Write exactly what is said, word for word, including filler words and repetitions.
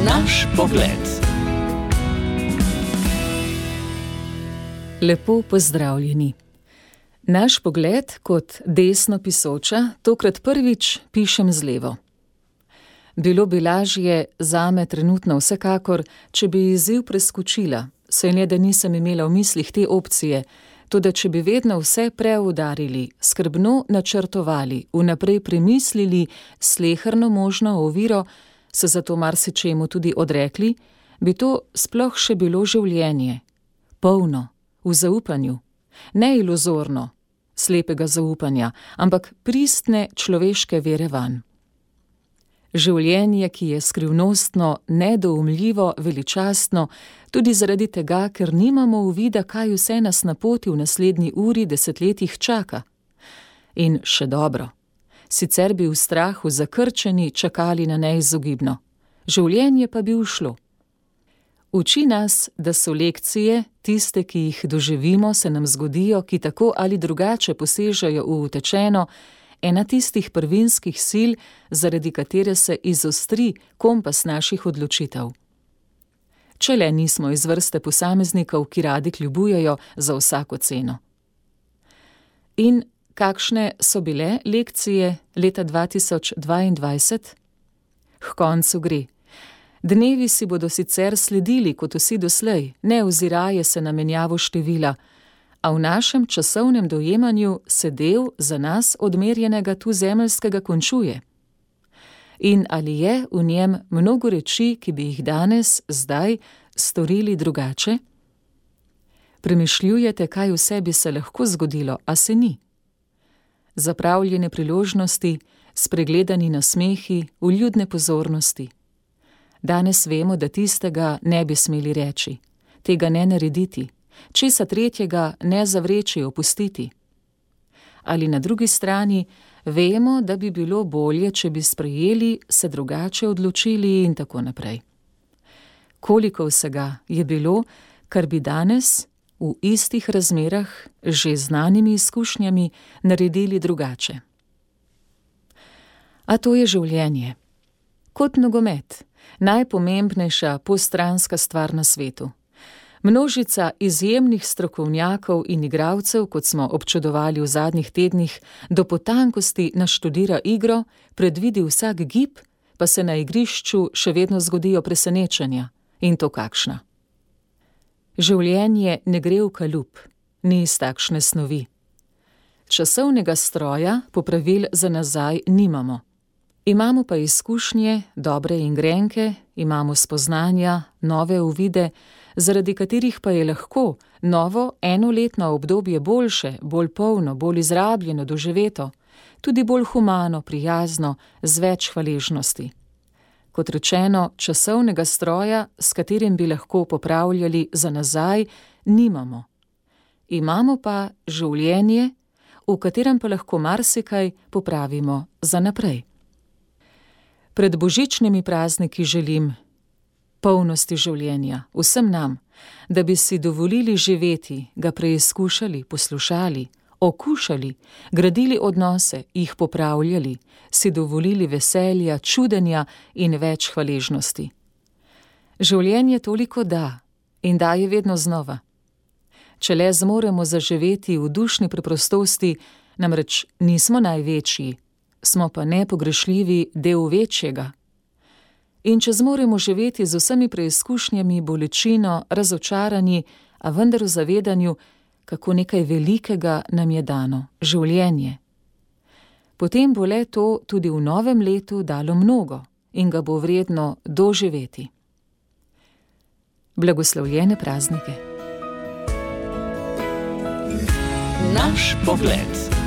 Naš pogled. Lepo pozdravljeni. Naš pogled kot desno pisoča tokrat prvič pišem z levo. Bilo bi lažje zame trenutno vsekakor, če bi izziv preskočila, saj ne da nisem imela v mislih te opcije, toda če bi vedno vse preudarili, skrbno načrtovali, vnaprej premislili sleherno možno oviro, se zato marsičemu tudi odrekli, bi to sploh še bilo življenje, polno, v zaupanju, ne iluzorno, slepega zaupanja, ampak pristne človeške vere vanj. Življenje, ki je skrivnostno, nedoumljivo, veličastno, tudi zaradi tega, ker nimamo uvida, kaj vse nas na poti v naslednji uri, desetletjih čaka. In še dobro, sicer bi v strahu zakrčeni čakali na neizogibno, življenje pa bi ušlo. Uči nas, da so lekcije, tiste, ki jih doživimo, se nam zgodijo, ki tako ali drugače posežejo v utečeno, ena tistih prvinskih sil, zaradi katere se izostri kompas naših odločitev. Če le nismo iz vrste posameznikov, ki radi kljubujejo za vsako ceno. In kakšne so bile lekcije leta dva tisoč dvaindvajset? H koncu gre. Dnevi si bodo sicer sledili kot vsi doslej, ne oziraje se na menjavo števila, a v našem časovnem dojemanju se del za nas odmerjenega tu zemeljskega končuje. In ali je v njem mnogo reči, ki bi jih danes, zdaj, storili drugače? Premišljujete, kaj vse bi se lahko zgodilo, a se ni. Zapravljene priložnosti, spregledani nasmehi, vljudne pozornosti. Danes vemo, da tistega ne bi smeli reči, tega ne narediti, česa tretjega ne zavreči, opustiti. Ali na drugi strani vemo, da bi bilo bolje, če bi sprejeli, se drugače odločili in tako naprej. Koliko vsega je bilo, kar bi danes v istih razmerah, že znanimi izkušnjami, naredili drugače. A to je življenje. Kot nogomet, najpomembnejša postranska stvar na svetu. Množica izjemnih strokovnjakov in igralcev, kot smo občudovali v zadnjih tednih, do potankosti naštudira igro, predvidi vsak gib, pa se na igrišču še vedno zgodijo presenečenja. In to kakšna. Življenje ne gre v kalup, ni iz takšne snovi. Časovnega stroja, popravil za nazaj, nimamo. Imamo pa izkušnje, dobre in grenke, imamo spoznanja, nove uvide, zaradi katerih pa je lahko novo enoletno obdobje boljše, bolj polno, bolj izrabljeno, doživeto, tudi bolj humano, prijazno, z več hvaležnosti. Kot rečeno, časovnega stroja, s katerim bi lahko popravljali za nazaj, nimamo. Imamo pa življenje, v katerem pa lahko marsikaj popravimo za naprej. Pred božičnimi prazniki želim polnosti življenja, vsem nam, da bi si dovolili živeti, ga preizkušali, poslušali, okušali, gradili odnose, jih popravljali, si dovolili veselja, čudenja in več hvaležnosti. Življenje toliko da in daje vedno znova. Če le zmoremo zaživeti v dušni preprostosti, namreč nismo največji, smo pa nepogrešljivi del večjega. In če zmoremo živeti z vsemi preizkušnjami, bolečino, razočaranji, a vendar v zavedanju, kako nekaj velikega nam je dano, življenje. Potem bo le to tudi v novem letu dalo mnogo in ga bo vredno doživeti. Blagoslovljene praznike. Naš pogled.